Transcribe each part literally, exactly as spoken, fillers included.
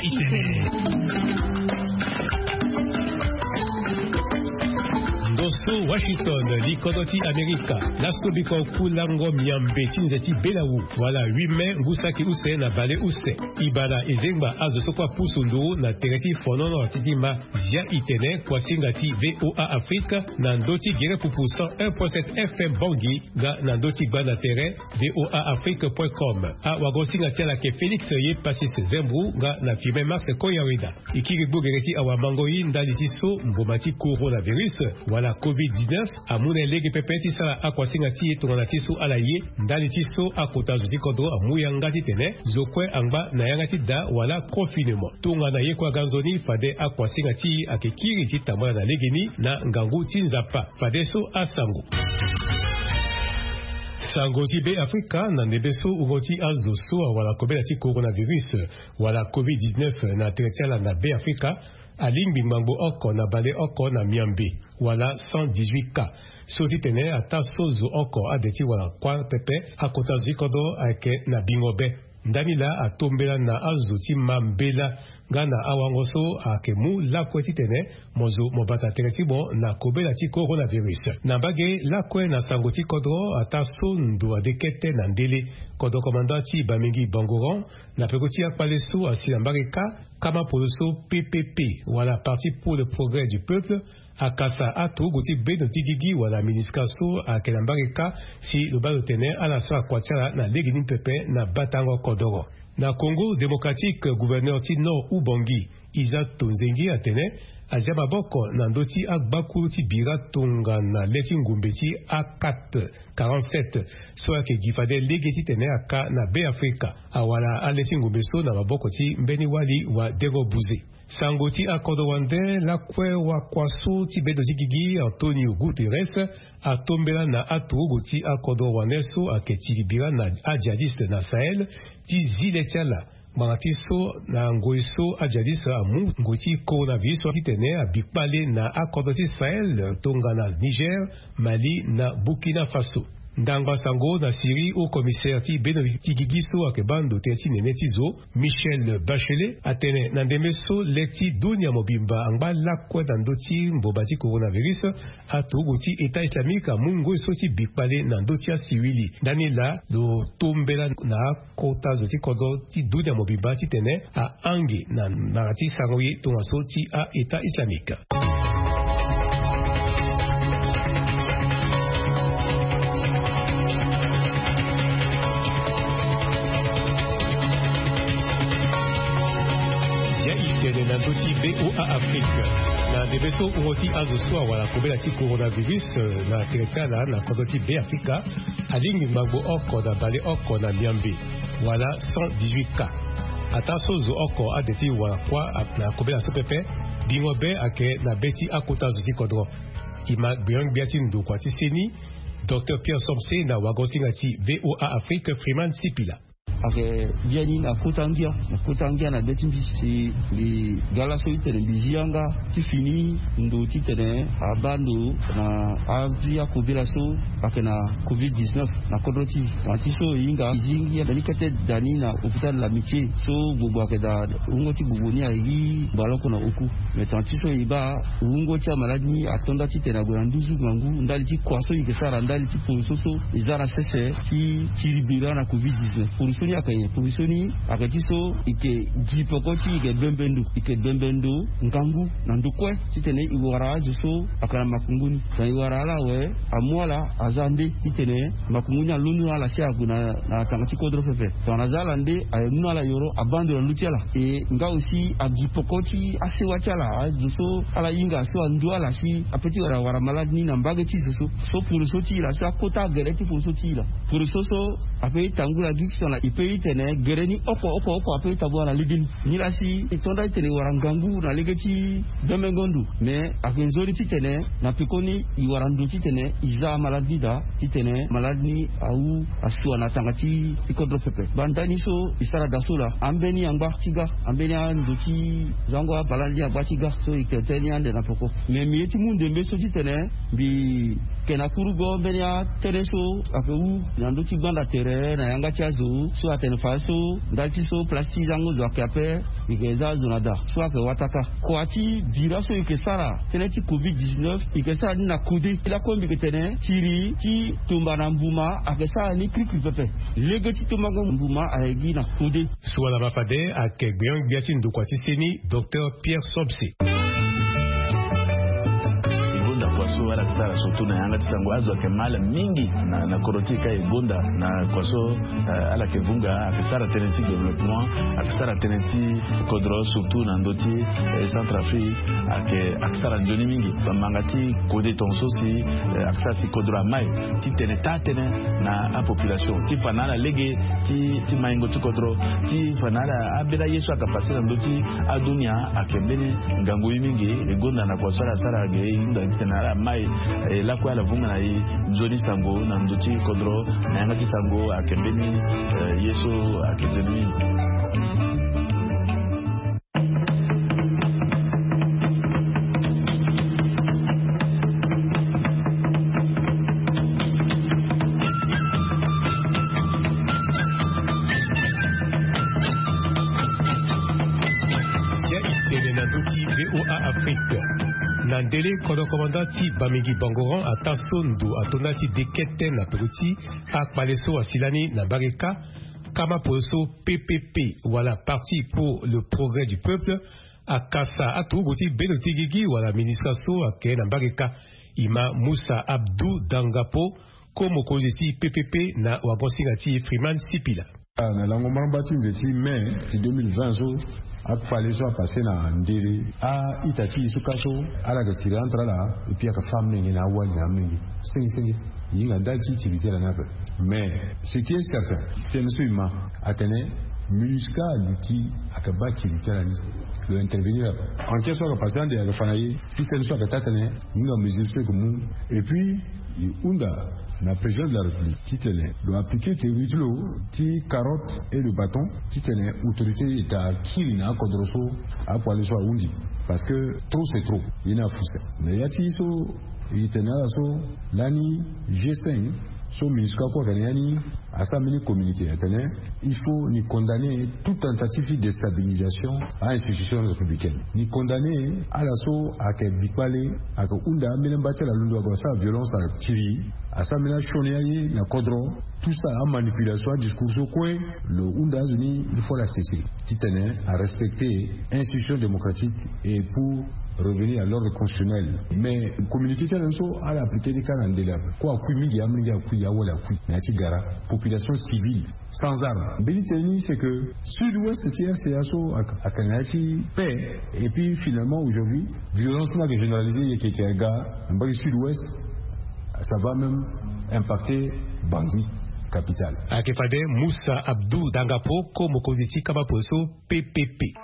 Ndo so Washington, li kodro ti Amerika. Laso biko kulango miambe ti nze ti belawu, wala huit mai, ngu saki use na bale use. Ibana ezengba azo so kue apusu nduru na tere ti fonono ti ti ma. Zia itene kuasinga ti VOA Afrique na ndö ti gere pupu cent un point sept F M Bangui, nga na ndö ti gbanda tere VOA Afrique point com. Awagosinga ti ala ayeke Félix ye Pacis Zembou, nga na filme Max Koyaweda. E kiri gbogere ti awamangoi ndali ti so mboma ti coronavirus, wala covid dix-neuf, amu na e lege pepe ti sara akuasinga ti e tongana ti so ala ye, ndali ti so akota zo ti kodro amu yanga titene zo kue angba na yanga ti da wala confinement. Tongana ye kue aga nzoni, fade akuasinga ti e ayeke kiri ti tambula na legeni na ngangu ti Nzapa. Fadeso asango. Sango ti Be Afrika na ndembe so wungo ti azo so awara kobela ti coronavirus wala covid dix-neuf na tere ti ala na Be Afrika alingbi ngbangbo oko na bale oko na miambe, wala cent dix-huit cas. So titene ataa so zo oko ade ti wara kuâ pepe, akota zo ti kodro ayeke na bingo be. Ndani laa atombela na azo ti ma mbela nga na awango so ayeke mu lakue titene mo zo mo bata tere ti mo na kobela ti coronavirus. Na mbage lakue na sango ti kodro, ataa so ndo ade kete na ndele, kodro komanda ti Bamingui Bangoran, na peko ti akpale so asi na mbage kâ, kama polo so P P P, wala Parti pour le Progrès du Peuple, akasa aturugu ti bendo ti gigi wala MINUSCA so ayeke na mbage kâ, si lo baa lo tene ala sara kua ti ala na legeni pepe na batango kodoro. Na Congo Démocratique, gouverneur ti Nord Ubangi, Isaac Tonzengi atene azia maboko na ndö ti agbakuru ti bira tongana le ti ngumbe ti A quatre quarante-sept so ayeke gi fade lege titene aka na Be Afrika. Awara ale ti ngumbe so na maboko ti mbeni wali wa Dero Buze. Sango ti akodro wande lakue, wakua so ti bendo ti gigi Antonio Guterres atombela na aturugu ti akodro wande so ayeke tiri bira na ajihadiste na Sahel ti zi le ti ala. Ngbanga ti so na ngoi so ajihadiste amu ngoi ti coronavirus so titene abi kpale na akodro ti Sahel tongana Niger, Mali na Burkina Faso. Ndangba sango na Syrie, haut commissaire ti bendo ti gigi so ayeke baa ndo tënë ti nene ti zo, Michelle Bachelet, atene na ndembe so le ti dunia mobimba angba lakue na ndö ti mboma ti coronavirus, aturugu ti État islamique amu ngoi so ti bi kpale na ndö ti asiwili. Ndani laa lo tombela na akota zo ti kodro ti dunia mobimba titene ahange na nara ti sango ye tongaso ti a-État islamique. Ya itene na ndö ti VOA Afrique. Na ndembe so wungo ti azo so awara kobela ti coronavirus, eh, na tere ti ala na kodro ti Be Afrika, alingbi ngbangbo oko na bale oko na miambe, wala cent dix-huit cas. Ataa so zo oko ade ti wara kuâ na kobela so pepe, bingo be ayeke na be ti akota zo ti kodro. E ma gbenyo-gbia ti ndokua ti seni, Docteur Pierre Somse na wagosinga ti VOA Afrique, Freeman Sipila. Ayeke biani na kota ngia, na kota ngia na be ti mbi si mbi ga laso ti tene mbi zi yanga ti fini ndo ti tene abaa ndo na avi akobela so ayeke na covid dix-neuf na kodro ti e. Tongana ti so e hinga e zi ngia mbeni kete da ni na hôpital L'Amitié so gbogbo ayeke daa wungo ti gbogbo ni aye gi mbaloko na oku. Me tongana ti so e baa wungo ti amalade ni ato nda titene ague na nduzu ngangu ndali ti kua so e yeke sara ndali ti poroso so e za na sese ti tiri bira na covid dix-neuf. Poroso ni ayeke nyen? Poroso ni ayeke ti so e yeke gi peko ti e yeke bembe ndo, e yeke bembe ndo ngangu na ndo kue titene e wara azo so ayeke na makungu ni. Tongana e wara ala awe, amu ala aza nde titene makungu ni alondo na ala si ague na, na tanga ti kodro pepe. Tongana aza ala nde, aye mu na ala yoro abaa ndo na ndö ti ala. E nga aussi agi peko ti asewa ti ala, azo so ala hinga so andu ala si ape ti wara wara malade ni na mbage ti zo so. So poroso ti e laa so akota gere ti poroso ti e laa. Poroso so ape ti tambula gi tongana e pe ti tene gere ni oko oko oko ape ti tambula na legeni. Nilaa si e to nda ti tene e wara ngangu na lege ti bembengo ndo. Me ayeke nzoni titene na pekoni e wara ndo titene e za amalade ni. Daa titene malade ni awu asua na tanga ti kodro pepe. Bandani so e sara daa so laa, ambeni angba ti ga, ambeni ando ti zango abalani agba ti ga so e ke teni ande na poko. Me mbi ye ti mu ndembe so titene mbi ke na kurugo mbeni atene so ake wu na ndö ti gbanda tere na yanga ti azo so atene fadeso ndali ti so place ti zango zo ake ape. Mbi ke za azo na daa so ake wataka kua ti bira so e ke sara tënë ti covid dix-neuf, e ke sara ni na kode lakue mbi ke tene tiri ti tumba na mbuma ake sara ni krikri pepe. Lege ti tumbango mbuma aye gi na kode. Suala ma fade ake gbeon-gbia ti ndokua ti seni, docteur Pierre Sobse. E gonda kua so ala ke sara surtout na yanga ti sango, azo ake ma ala mingi na, na kodro ti e ka e gonda na kua so, eh, ala ke vunga ake sara tënë ti développement, ake sara tënë ti kodro surtout na ndö ti, eh, Centrafrique, ake, ake sara nzoni mingi. Bamanga ti kode tongaso si, eh, ake sara si kodro amai titene taa tënë na apopulation ti fa na ala lege ti, ti maingo ti kodro, ti fa na ala ambeni aye so ake passe na ndö ti adunia ake mbeni ngangu ye mingi. E gonda na kua so ala sara ge e hunda titene ala mai, eh, lakue ala vunga na e nzoni sango na ndö ti kodro na yanga ti sango ake mbeni, eh, ye so ake nzoni mingi. Sia e tene na ndö ti V O A Afrique. Na ndele kodro komanda ti Bamingui Bangoran ataa so ndo atonda ti dekete na peko ti akpale so asi lani na mbage kâ. Kama polo so P P P wala Parti pour le Progrès du Peuple akasa aturugu ti bendo ti gigi wala ministre so ake na mbage kâ. E ma Moussa Abdou Dangapo, ko mokonzi ti P P P na wagon-singa ti e Freeman Sipila. Ah, na lango maramba ti nze ti mai ti deux mille vingt so, akpale so apasse na ndele a-ita ti e so kâ so, ala yeke tiri entre ala, et puis ayeke fâ amolenge na awali na amolenge. Senge senge. E hinga ndali ti tiri ti ala ni ape. Mais ce qui est certain, tënë so e ma atene MINUSCA aluti, ayeke baa tiri ti ala ni. Lo intervenir ape. Enquête so ayeke passe ande ayeke fa na e si tënë so ayeke taa tënë, e hinga mesure so e yeke mu. Et puis e hunda na président de la République titene lo appliquer théorie ti lo ti carotte et le bâton, titene autorité ita akiri na akodro so akpale so ahundi. Parce que trop c'est trop. Ye ni afu sese. Mais ya ti so e tene na ala so, lani G cinq so MINUSCA kue ayeke na ya ni, asara mbeni communiqué atene il faut ni condamner toute tentative de déstabilisation à institution républicaine. Ni condamner ala so ayeke bikpale, ayeke hunda ambeni amba ti ala londo, ayeke sara violence, ayeke tiri, asara mbeni asioni aye na kodro. Tout ça, amanipulation, adiscours so kue lo hunda azo ni, il faut ala cesser titene arespecter institution démocratique et pour revenir à l'ordre constitutionnel. Mais communiqué ti ala ni so ala appliquer ni kâ na ndele ape. Kue akui mingi, amolenge akui, awali akui na ya ti gara, population civile sans armes. Mbeni tënë ni c'est que sud-ouest ti R C A so ak- ayeke na ya ti paix. Et puis finalement aujourd'hui violence ni ayeke généralisée, e yeke yeke aga na mbage sud-ouest. Ça va même impacter Bangui, capitale. Ayeke fade Moussa Abdou Dangapo, ko mokonzi ti kama polo so P P P.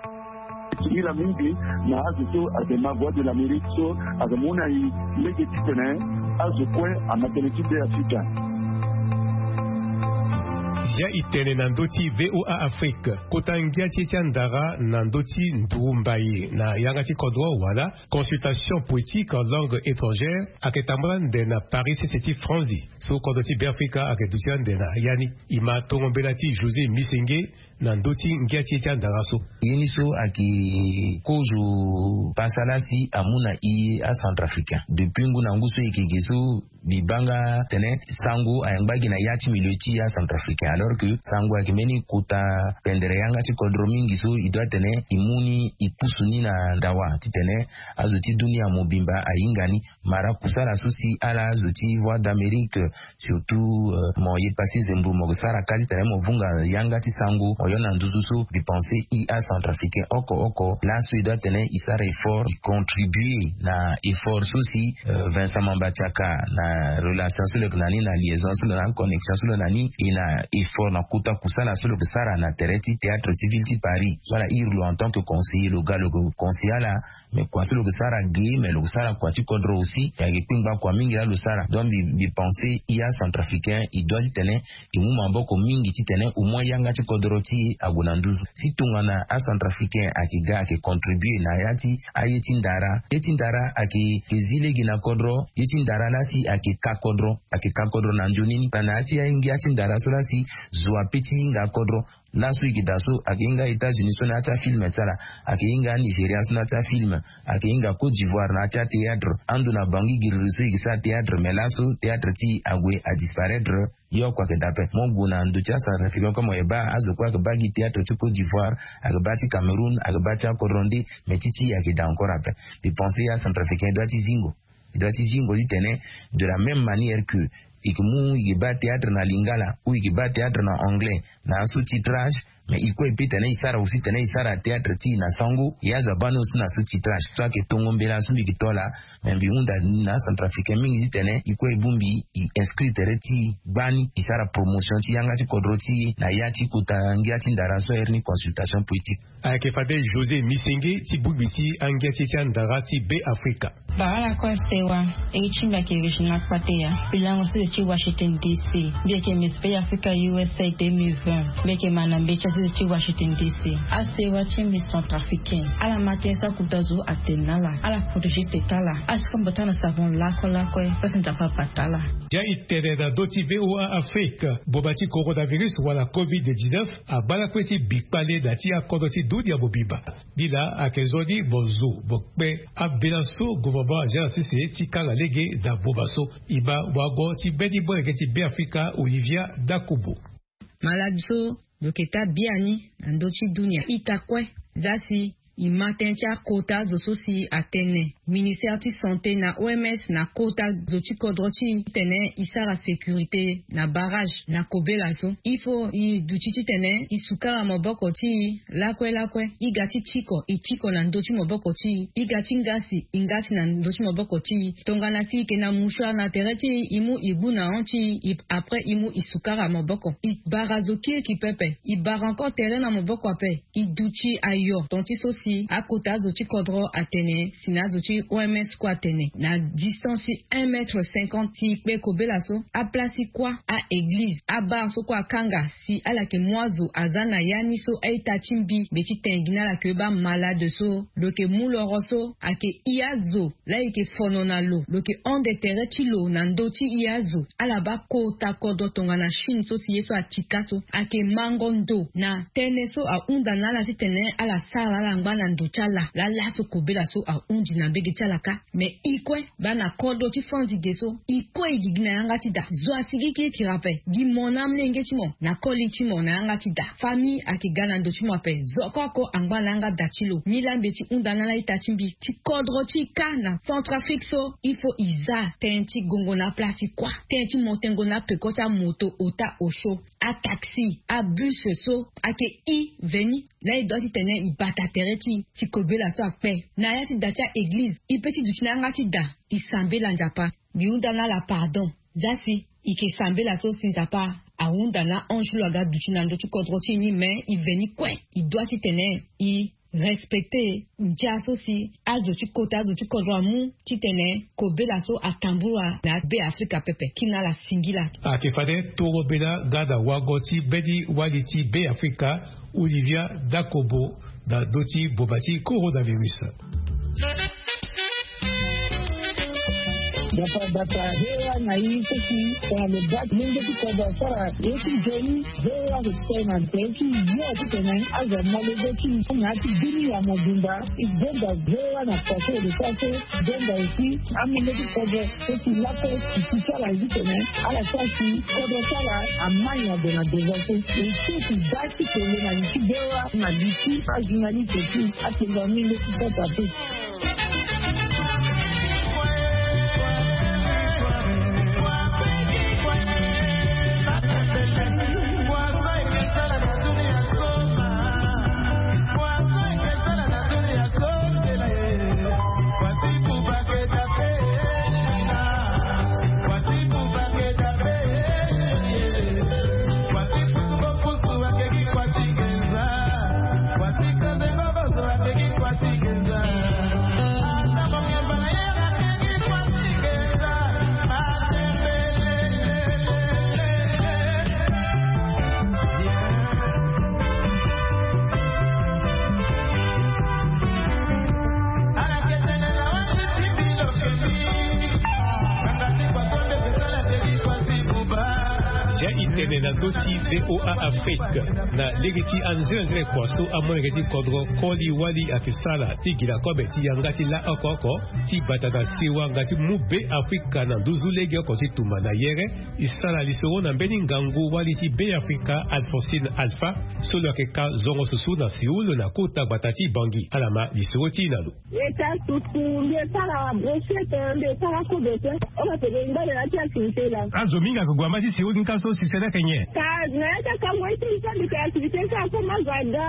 Singila mingi na azo so ayeke ma Voix de l'Amérique so ayeke mu na e lege titene azo kue ama tënë ti Be Afrika. Sia e tene na ndö ti V O A Afrique, kota ngia ti e ti andara na ndö ti nduru mbai na yanga ti kodro wala consultation poétique en langue étrangère ayeke tambula ande na Paris sese ti France, so kodro ti Be Afrika ayeke duti ande na ya ni. E ma tongo mbela ti José Misenge na ndö ti ngia ti e ti andara so. Ye ni so ayeke kozo pasa laa si amu na e acentrafricain. Depuis ngu na ngu so e yeke ge so, mbi baa nga tene sango ayeke ngba gi na ya ti milieu ti acentrafricain, alors que sango ayeke mbeni kota pendere yanga ti kodro mingi so e doit tene e mu ni e pusu ni na ndawa titene azo ti dunia mobimba ahinga ni. Mara kusala so si ala azo ti Voix d'Amérique, surtout, euh, mo ye pasi zemburu mo sara ka titene mo vunga yanga ti sango, mo yo na nduzu so, mbi pense e acentrafricain oko oko laso e doit tene e sara effort, e contribuer na effort so si, euh, Vincent Mamba Tiaka na relation so lo yeke na ni, na liaison so lo na ni, connexion so lo na ni, e na Fort na kota kusala so lo ke sara na tere ti théâtre civil ti Paris so ala iri lo en tant que conseiller lo ga lo ke conseiller ala. Mais kua so lo ke sara ge mais lo ke sara kua ti kodro aussi. Ayeke kpingba kua mingi laa lo sara donc mbi mbi pense ya centrafricain e doit ti tene e mu maboko mingi ti tene au moins yanga ti kodro ti e ague na nduzu. Si tongana acentrafricain ayeke ga ayeke contribuer na ya ti aye ti ndara ye ti ndara ayeke zi lege na kodro ye ti ndara laa si ayeke ka kodro ayeke ka kodro na nzoni ni na na ya ti aye ngia ti ndara so laa si zo ape ti hinga kodro. Laso e ke daa so ayeke hinga états-unis so na ya ti afilme ti ala ayeke hinga anigeria so na ya ti afilme ayeke hinga côte d'ivoire na ya ti athéâtre ando na bangi giriri so e ke sara théâtre mais laso théâtre ti e ague adisparaître. Ye oko ayeke daa ape mo gue na ndo ti acentrafricain kue mo yeke baa azo kue ayeke baa gi théâtre ti côte d'ivoire ayeke baa ti cameroun ayeke baa ti akodro nde. Mais ti ti e ayeke daa encore ape. Mbi pense ya centrafricain e doit ti zingo e doit ti zingo titene de la même manière que e ke mu e ke baa théâtre na lingala ou e ke baa théâtre na anglais na asous titrage. Mais e kue e pe tene e sara aussi tene e sara théâtre ti e na sango e aza baa ni aussi na sous titrage so ayeke tongo mbela so mbi ke to laa. Mais mbi hunda na acentrafricain mingi titene e kue e bongbi e inscrit tere ti e gbani e sara promotion ti yanga ti kodro ti e na ya ti kota ngia ti ndara so airi ni consultation politique. Ayeke fade josé misenge ti bongbi ti angia ti ti andara ti be afrika. Bara lakue sewa. Iri ti mbi ayeke regina kpateya. Mbi lango sese ti washington dc. Mbi yeke miss be africa usa deux mille vingt. Mbi yeke manda mbeti ya sese ti washington dc. Asewa ti mbi centrafricain ala ma tënë so akuta zo atene na ala ala protégé teta ala. Ala si kombo taa na savon lakue lakue. Pasi nzapa abata ala. Dia e tene na ndö ti voa afrique. Boba ti coronavirus wala covid dix-neuf abaa lakue ti bi kpale na ti akodro ti dunia mobimba. Ni laa ayeke zo ni mo zo mo kpe ambela so gouvernement azia na sese ti kanga lege na boma so. E ma wango ti mbeni molenge ti beafrika olivia dakubo. Maladi so lo yeke taa biani na ndö ti dunia ita kue. Za si e ma tënë ti akota azo so si atene ministère ti santé na oms na kota zo ti kodro ti e titene e sara sécurité na barrage na kobela so. Il faut e duti titene e sukara maboko ti e lakue lakue. E ga ti tiko e tiko na ndö ti maboko ti e. E ga ti ngasi e ngasi na ndö ti maboko ti e. Tongana si e yeke na mouchoir na tere ti e e mu e gbu na hon ti e après e mu e sukara maboko. E bara zo kiriki pepe. E bara encore tere na maboko ape. E duti ayo ton ti so si akota azo ti kodro atene si na azo ti oms kue atene na distance ti un mètre cinquante ti kpe kobela so. Aplace ti kuâ a-eglize abar so kue akanga si ala yeke mu azo aza na ya ni so a-ita ti mbi mbe ti tene gi na ala yeke baa malade so lo yeke mu loro so ayeke i azo laa e yeke fono na lo lo yeke hon de tere ti lo na ndö ti i azo. Ala baa kota kodro tongana chine so si ye so atika so ayeke mango ndo na tënë so ahunda na ala titene ala sara ala ngba na ndo ti ala laa laso kobela so ahundi na mbege ti ala kâ. Mais e kue baa na kodro ti fo anzi ge so e kue e gigi na yanga ti daa zo asigi kirikiri ape. Gi mo na amolenge ti mo na koli ti mo na yanga ti daa. Famille ayeke ga na ndo ti mo ape zo oko oko angba na yanga daa ti lo. Nilaa mbi ye ti hunda na ala ita ti mbi ti kodro ti e kâ na centrafrique so il faut e za tënë ti gongo na aplace ti kuâ. Tënë ti mo tengo na apeko ti amoto ota osio ataxi abus so ayeke e veni. Laa e dua titene e bata tere ti e ti kobela so akpe na ya ti da ti a-eglize e pe ti duti na yanga ti da e sambela nzapa. Mbi hunda na ala pardon. Za si e yeke sambela so si nzapa ahunda na ange lo aga duti na ndö ti kodro ti e ni me e veni kue. E dua titene e respecte ndia so si azo ti kota azo ti kodro amu titene kobela so atambula na be afrika pepe kina ala singila. Ayeke fade toro mbela nga na wango ti mbeni wali ti be afrika olivia dakobo na ndö ti boma ti coronavirus. Dapa dapa hewa na i seki tongana lo bak mungo ti kodo asara ye ti joni. Hewa lo tena nte ti yo ti tene azo molege ti na ti bini ya mobimba. I donda hewa na koso lo sa so donda esi amenge ti kodo seki lape ti ti sara ye ti tene ala sa si kodo sara amani ado na deza so. Lo seki da ti tene na li ti hewa na li ti ajournaliste ti atenda mungo ti kota pe. Ti VOA Afrique, na lege ti anzenanzena kua so amolenge ti kodro koli wali ayeke sara ti gi na kobe ti yanga ti la oko oko ti bata na sewa nga ti mu Be Afrika na nduzu lege oko ti tumba na yere. E sara lisoro na mbeni ngangu wali ti Be Afrika Alphonsine Alpha, so lo yeke ka zongo susu na Séoul na kota gbata ti Bangui. Ala ma lisoro ti e na lo. Eta tutu mbi e sara brochette, mbi e sara kobe te. Obateke ngba na ya ti activité laa. Azo mingi ayeke gue na mba ti Séoul ni ka so succès ni ayeke nyen? Ka na ya ti akango ye ti mbi so mbi yeke activité so akomo azo aga,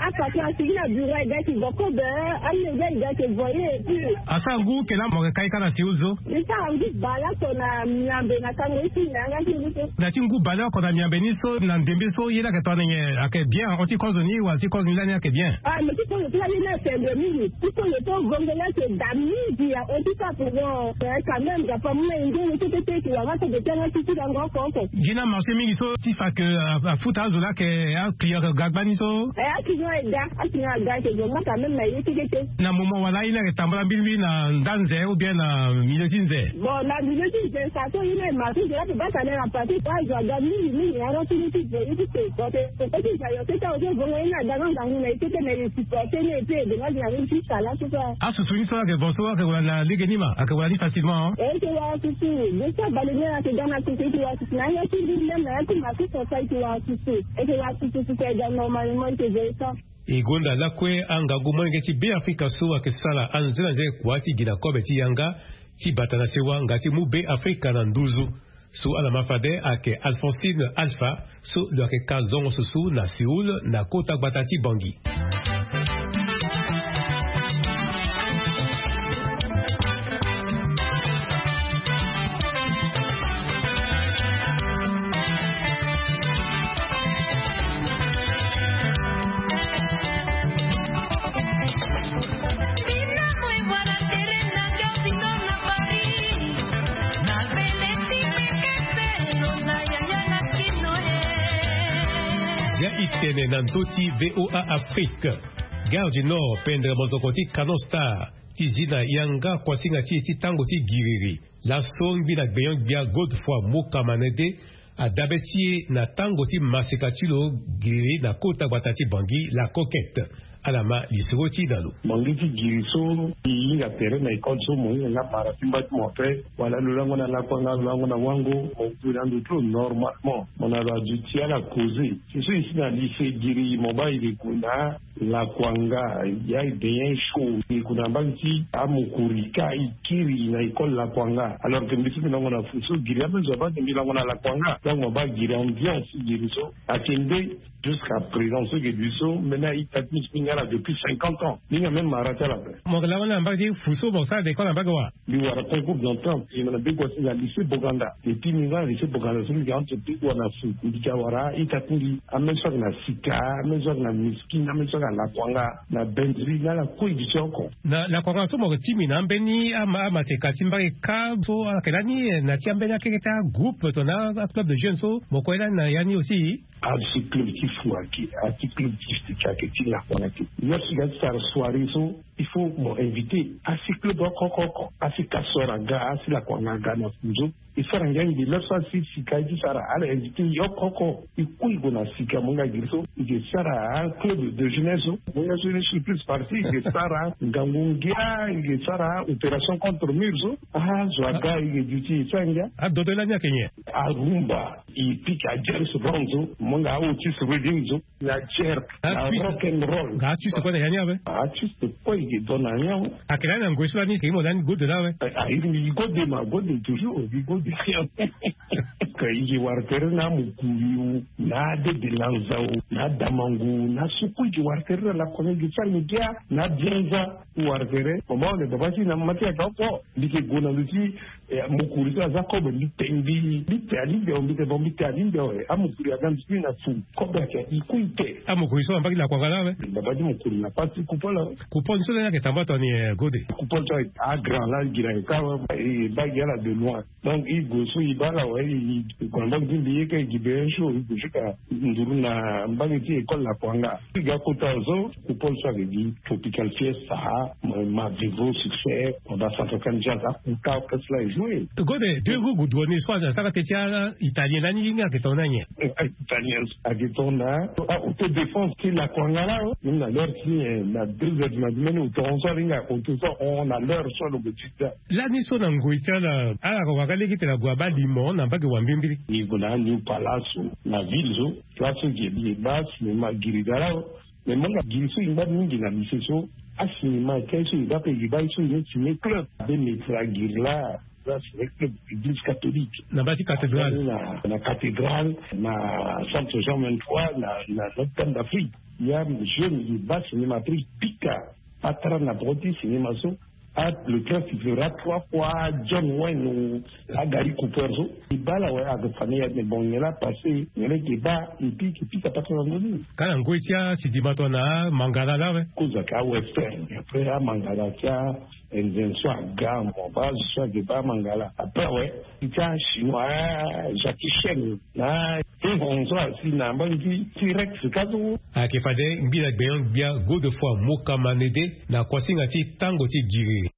apatron asigi na bureau, e ga yeke vo kobe, amenge e ga yeke vo ye et puis. Asara ngu oko laa mo yeke kai kâ na Séoul so? Mbi sara ngu baleoko na miambe na kango ye ti mbi na yanga ti mbi so. Na ya ti ngu baleoko na miambe ni so na ndembe so ye ni ayeke tongana nyen? Ayeke bien? Ahon ti kozo ni wala ti kozo ni lani ayeke bien? Ah, mais ti kozo ti la ye ni ayeke bien mingi. Ti kozo ti vongo ni ayeke da mingi ya oti so ape. Bon, eh, quand même, ga pa mu na e nge ni kete te, e ke wara kozo ti yanga ti ti lango oko oko. Ye ni amarché mingi so ti fa ke, ah, afuta azo laa ayeke aclient ayeke ga gbani so? Eh, aclient ayeke ga, aclient ayeke ga, ayeke zo nga quand même na ye ti kete. Na moment wala ye ni ayeke tambula mbilimbili na nda nze ou bien na milieu ti nze? Bon, na milieu ti nze, sa so ye ni aye marché nze la pe baa tane na pate, azo aga mingi mingi, ara ti ni ti ve ye ti pe. Bon, pe, pe, pe ti nze ayo kete, azo ti vongo ye ni aga na ngangu na ye kete, mais e supporté ni, e pe aidé nga ti na ye ti sala so so. Asusu ni so ayeke vo so ayeke wara na lege ni ma, ayeke wara ni facilement, hein? E yeke wara susu, je sais, baleine ayeke ga na susu, e yeke wara susu na ya ti mbi même, na ya ti ma so so e yeke wara susu. E yeke wara susu, susu ayeke ga normalement, e yeke ve ye so. E gonda lakue angangu molenge ti Be Afrika so ayeke sara anzenanze kua ti gi na kobe ti yanga ti bata na sewa nga ti mu Be Afrika na nduzu. So ala ma fade ayeke Alphonsine Alpha, so lo yeke ka zongo susu na Séoul na kota gbata ti Bangui. Ya e tene na ndö ti VOA Afrique. Gare du Nord, pendre mozoko ti Canon Star, ti zi na yanga kuasinga ti e ti tango ti giriri. Laso ngbi na gbenyo-gbia Godefroid Moka Manede adabe ti e na tango ti maseka ti lo giriri na kota gbata ti Bangui, La Coquette. Ala ma lisoro ti e na lo. Mo ngi ti giri so, e hinga tere na école so, mo hinga nga mara ti mba ti mo ape, wala lo lango na Lakuanga, lo lango na Wango, mo gue na ndo ti lo normalement. Mo na lo aduti ala causer. Si so e si na lycée giri, mo baa e ke gue na Lakuanga, ya e bien chaud, e gue na mbage ti amokori ka e kiri na école Lakuanga. Alors que mbi so mbi lango na Fuso, giri ape zo abaa, mbi lango na Lakuanga. Donc mo baa giri ambiance, giri so. Ayeke nde, jusqu'à présent, so e ke duti so, mbeni a-ita ti mbi so mbi hinga ala depuis cinquante ans. Mbi hinga même mara ti ala ape. Mo yeke lango ni na mbage ti Fuso, mo sara école na mbage wa? Mbi wara concours d'entrée en primaire na Begoua ti na lycée Boganda. Et puis mbi nga na lycée Boganda so mbi ga entre Begoua na Fuso. Mbi ga wara a-ita ti mbi, ameni so ayeke na Sika, ameni so ayeke na Miskine, ameni so ayeke na Lakuanga, na Bendri, na ala kue e duti oko. Na Lakuanga so mo yeke ti mbi na ambeni ama, amateka ti mbage ka so ayeke lani, eh, na ti ambeni akeke ti agroupe tongana aclub de jeunes so mo kue lani na ya ni aussi? Asi club ti Fuso ayeke, asi club ti Sika ayeke, ti Lakuanga ayeke. Yo si ga ti sara soirée so, il faut mo invité asi club oko oko oko. Asi Kasor aga, asi Lakuanga aga na Fuso. E sara ngia mingi, lere so asi Sika ye ti sara, ala invité yo oko oko. E kue e gue na Sika, mo nga giri so e ke sara club de jeunesse so. Mo nga so ni surprise partie, e ke sara ngangu ngia, e ke sara opération contre mur so. Ah, zo aga, e ke duti, e sara ngia. Adodo lani ayeke nyen? Arumba. E pika James Brown so, mo nga Otis Redding so, na jerk, na rock and roll. Nga artiste kue na ya ni awe? Artiste kue e ke do na ya ni awe. Ayeke lani na ngoi so lani, e ke mo lani gode laa awe? Ah, e ke gode ma, gode toujours, e ke gode. Ka e ke wara tere na Mukuri o, na Dede Lanza o, na Damango, na so kue e ke wara tere na Lakuanga, e ke sara ngia, na Bianza, e wara tere. Mama one baba ti na mama ti ayeke oko. Mbi ke gue na ndö ti Eh, mokuri so aza kobe, mbi te, mbi, mbi te alingbi awe, mbi te bon, mbi te alingbi awe. Amokuri aga mbi ti mbi na fu, kobe ayeke, e kue e te. Amokuri so na mbage ti Lakuanga laa awe? Baba ti mokuri na pasi ti Kupol awe. Kupol ni so lani ayeke tambula tongana nyen, eh, gode? Kupol so agra laa, e gi na e ka awe. E baa gi ala de loin. Donc e gue so e baa ala awe, e gue na mbage ti mbi, e ka e gi be un jour, e gue jusqu'à nduru na mbage ti école Lakuanga. E ga kota so, Kupol so ayeke gi Tropical Fiesta, ma, ma Vivo Succès, ma ba Central Can Jazz, akuta orchestre laa e Oui. Gode, deux roues goudronnées, soit ça va te tia italien, là, ni nga que ton anye. Italien, à que ton a, autodéfense, c'est la kwangala, hein. Même la leur si, euh, la deux heures du matin, même au temps, ça, ringa, on te sort, on a leur sur le petit. Là, ni so na ngoi tia na, ala ko kaka leki te na gwa ba limon, na mbage wa mbimbiri. Ni gona, ni palaso, na ville so, place qui est bien basse, mais ma girigala, mais mon la giri so, il va mingi na lycée so, a cinéma, quel so, il va payer, il va, il va signer club, des métiers à guerre-là. Place, avec le église catholique. Na bâti cathédrale. Na, na cathédrale, na centre Jean vingt-trois, na, na Notre-Dame d'Afrique. Il y a un jeune, il bat cinéma, après, pica, patra na broti cinéma so. Ah, le cœur qui fera trois fois John Wayne ou la Gary Cooper so. Il bat la, ouais, avec famille, mais bon, il est là, passé, il est là, il bat, il pique, il pique, à pas trop d'envie. Quand on goûte ça, c'est du matin, na, mangala, là, ouais. Cause à western, après, à mangala, tiens, Nze so aga mo ba so age ba mangala. Après, ouais, ti a chinois, ah, Jackie Chan, na ti honzo asi na mbangi ti Rex ka so. Ayeke fade ngbi na gbenyo gbia Godefroid Mokama Nede na kuasinga ti tango ti giri.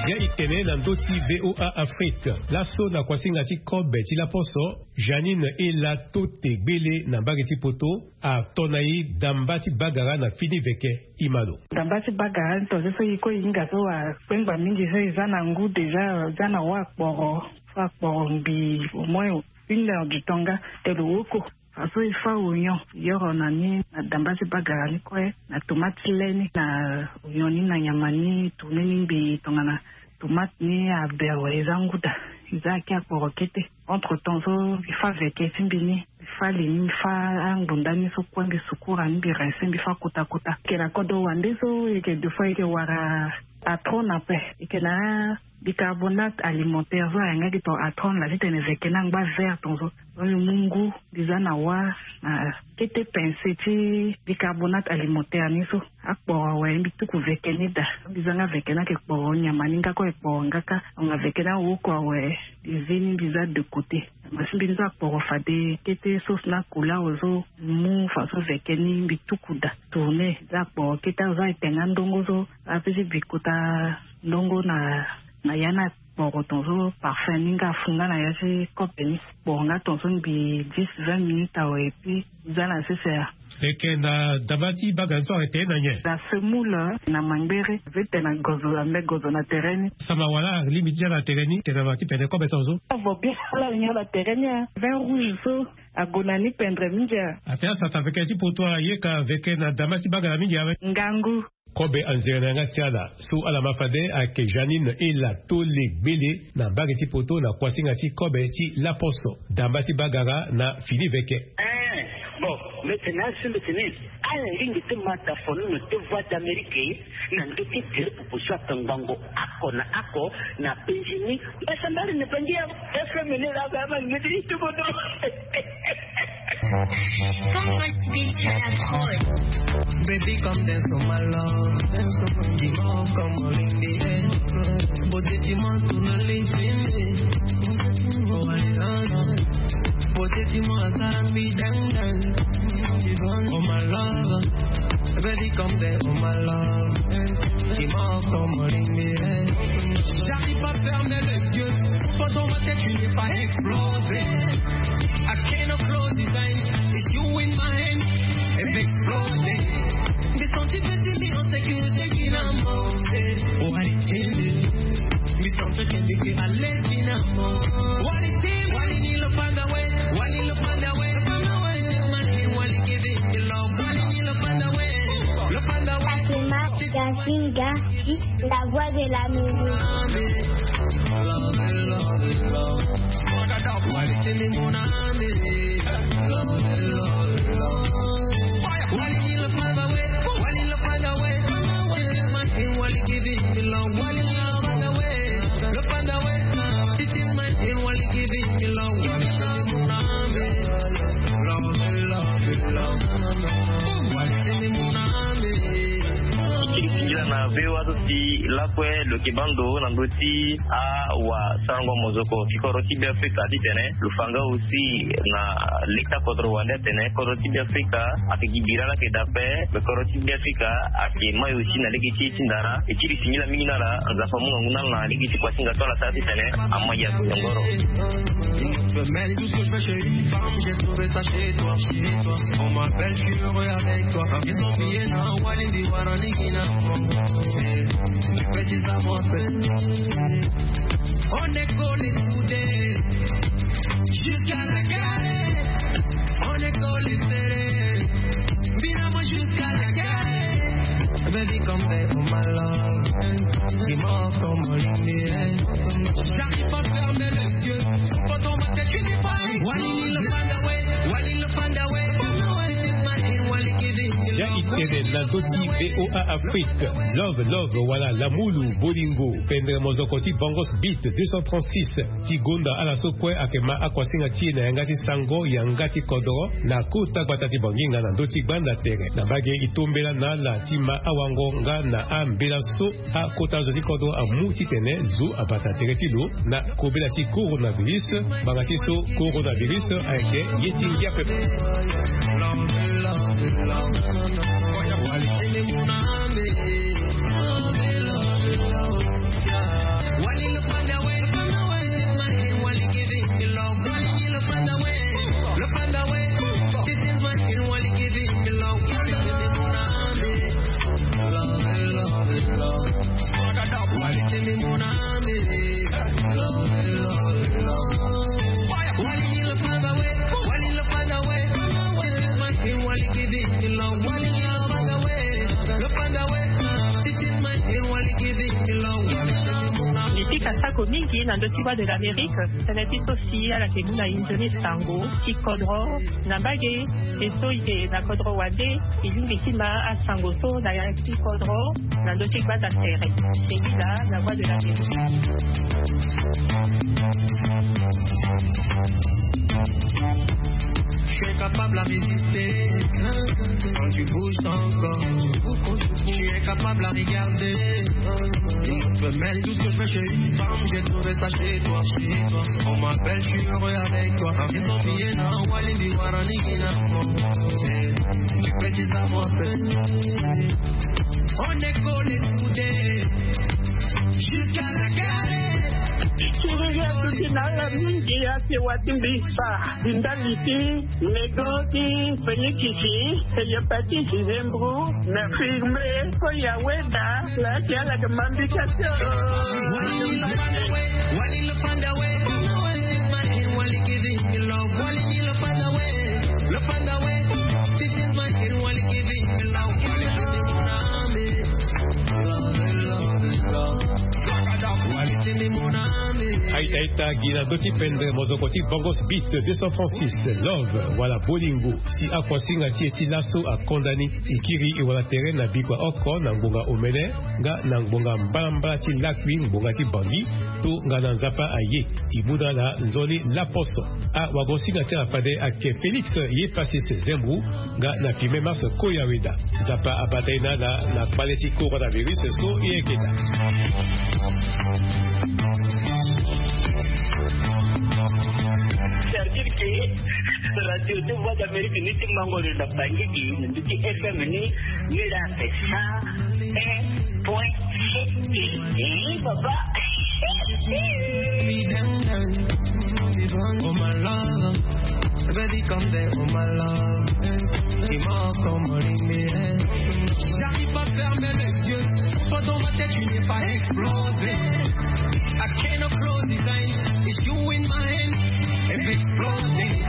Zia e tene na ndö ti V O A Afrique. Laso na kuasinga ti kobe ti laposo, Janine Ela Tote Gbele na mbage ti poto ato na e damba ti bagara na fini veke. Imano. Damba ti bagara ni tonze so e kue e hinga so akpengba mingi so e za na ngu déjà, e za na wâ akporo so akporo ngbii au moins une heure du temps nga te lo woko. Fa so e fâ oignon, yoro na ni na damba ti bagara ni kue, na tomate ti le ni, na oignon ni, na nyama ni, tourner ni ngbii tongana tomate ni aber, e za ngu daa, e za ake akporo kete. Entre temps so e fâ veke ti mbi ni, e fâ li ni, e fâ angbonda ni so kue, mbi sukura ni, mbi rince, mbi fâ kota kota. E yeke na kodro wande so, e yeke deux fois, e yeke wara atron ape, e yeke na bicarbonate alimentaire so ayeke nga gi ton atron laa titene veke ni angba vert ton so. Donc mbi mu ngu, mbi za na wâ, na kete pincée ti bicarbonate alimentaire ni so. Akporo awe, mbi tuku veke ni daa. Mbi za nga veke ni ayeke kporo nyama ni nga kue, ayeke kporo nga kâ. Donc veke ni awoko awe, mbi zi ni, mbi za de côté. Mo si mbi ni so akporo fade kete sauce ni akula awe so, mbi mu fa so veke ni, mbi tuku daa. Tourner, za akporo kete awe so, ayeke nga ndongo so, ape ti bi kota ndongo na, na ya ni akporo ton so, parfum ni nga afu nga na ya ti kobe ni. Kporo nga ton so ngbii dix, vingt minutes awe, et puis za na sese ya. E yeke na damba ti bagara ni so ayeke tene na nyen? Na semoule, na mangbere, ape tene na gozo, ambe gozo na tere ni. Sama wala alingbi ti ya na tere ni, tene na ma ti pende kobe ton so. Avo bien, ala alingi ala tere ni, hein. Vin rouge so, ague na ni pendre mingi, hein. Ate asata veke ti poto ayeka veke na damba ti bagara mingi awe. Ngangu. Kobe anzere na yanga ti ala so ala ma fade ayeke Janine Ela Tote Gbele na mbage ti poto na kuasinga ti kobe ti laposo. Damba ti bagara na fini veke. Eh, bon, mbi tene asi mbi tene, ala lingbi ti ma da fono na ti Voix d'Amérique na ndö ti tere popo so akangbango oko na oko na penzi ni. Mbasambala na bangi ya F M ni la ba ma ngeti ti bodo. Come on, Spiritual Abroad. Baby, come dance for my love. Dance for my love. Come on, in the air. Beauté, dis-moi, tourne les yeux. Oh, I love you. Beauté, dis-moi, ça me dance, dance. Oh, my love. Baby, come there, oh, my love. Dis-moi, come on, in the air. J'arrive pas à fermer les yeux. Pas dans ma tête, tu n'es pas explosé. I cannot close his eyes. It's you in my hand. It's exploding. They don't even see me on security. What it is. Mi santo que me que a lesbian amor. What it is. What it is. Look on the way. What it look on the way. Look on the way. What it is. Look on the way. Look on the way. Fatima Gazinga, la voix de la musique. Ve wa so si lakue lo yeke baa ndo na ndö ti awasarango mozoko ti kodro ti Beafrika titene lo fa nga aussi na leta kodro wande atene kodro ti Beafrika ayeke gi bira laa ayeke daa ape. Me kodro ti Beafrika ayeke mai aussi na lege ti e ti ndara. E ti li singila mingi na ala. Nzapa amu ngangu na ala na lege ti kuasinga so ala sara titene ama ya konyongoro. Femelle, tout ce que je fais chez une femme, j'ai trouvé ça chez toi, chez toi. On m'appelle, je suis heureux avec toi. Ils sont pillés dans Walindi Waranigina. Tu peux dire ça, mon frère. On est collés soudés jusqu'à la gare. On est collés serrés. Finalement, jusqu'à la gare. Baby, come back for my love. Dis-moi comment il est. J'arrive pas à fermer les yeux. Faut dans ma tête, tu dis pas. Wali, le find a way. Wali, le find a way. This is my thing, Wali, give it to ya love. Itene na ndö ti VOA Afrique. Love, love, wala lamulu, bolingo. Pendre mozoko ti Bongos Beat deux cent trente-six. Ti gonda ala so kue ayeke ma akuasinga ti e na yanga ti sango, yanga ti kodro, na kota gbata ti Bangi nga na ndö ti gbanda tere. Na mbage e tombela na ala ti ma awango nga na ambela so akota zo ti kodro amu titene zo abata tere ti lo na kobela ti coronavirus. Ngbanga ti so coronavirus ayeke ye ti ngia pepe. Li ti kasako mingi na ndö ti Voix de l'Amérique. Tënë ti so si ala yeke mu na inzo ni sango ti kodro na mbage. E so e yeke na kodro wande, e lingbi ti ma asango so na ya ti kodro na ndö ti gbanda tere. Sengila na Voix de l'Amérique. Je suis incapable à résister quand tu bouges ton corps. Je suis incapable à regarder une autre femelle. Tout ce que je fais chez une femme, j'ai trouvé ça chez toi, chez toi. On m'appelle, je suis heureux avec toi. Ils sont pillés dans Walindi Waranigina. Tu peux dire ça, mon frère. On est collés soudés jusqu'à la gare. Siriri atuti na ala mingi ake wa ti mbisa. Ndali ti nego ti penikisi, hepatite, zembro, na firme, ko ya weda, la ti ala ke mambika to. Aita aita gi na ndö ti pendre mozoko ti Bongos Beat deux cent trente-six, Love, wala bolingo. Si akuasinga ti e ti laso akonda ni, e kiri e wala tere na bikua oko na ngbonga omene nga na ngbonga mbalambala ti lakui ngbonga ti Bangi. Tongana Nzapa aye, e mu na ala nzoni laposo. Awagosinga ti ala fade ayeke Félix Yepasis Zembou nga na firme Mars Koyaweda. Nzapa abata e na ala na kpale ti coronavirus so e yeke daa. C'est-à-dire que radio ti Voix d'Amérique ni ti mango lo na Bangui, na ndö ti F M ni, ni la ake cent un point sept. Eh, papa. Oh my love, baby, come there, oh my love. Dis-moi comment il est. J'arrive pas à fermer les yeux. Toi dans ma tête, tu n'es pas explosé. I cannot close this eyes. It's you in my hand. It's exploding.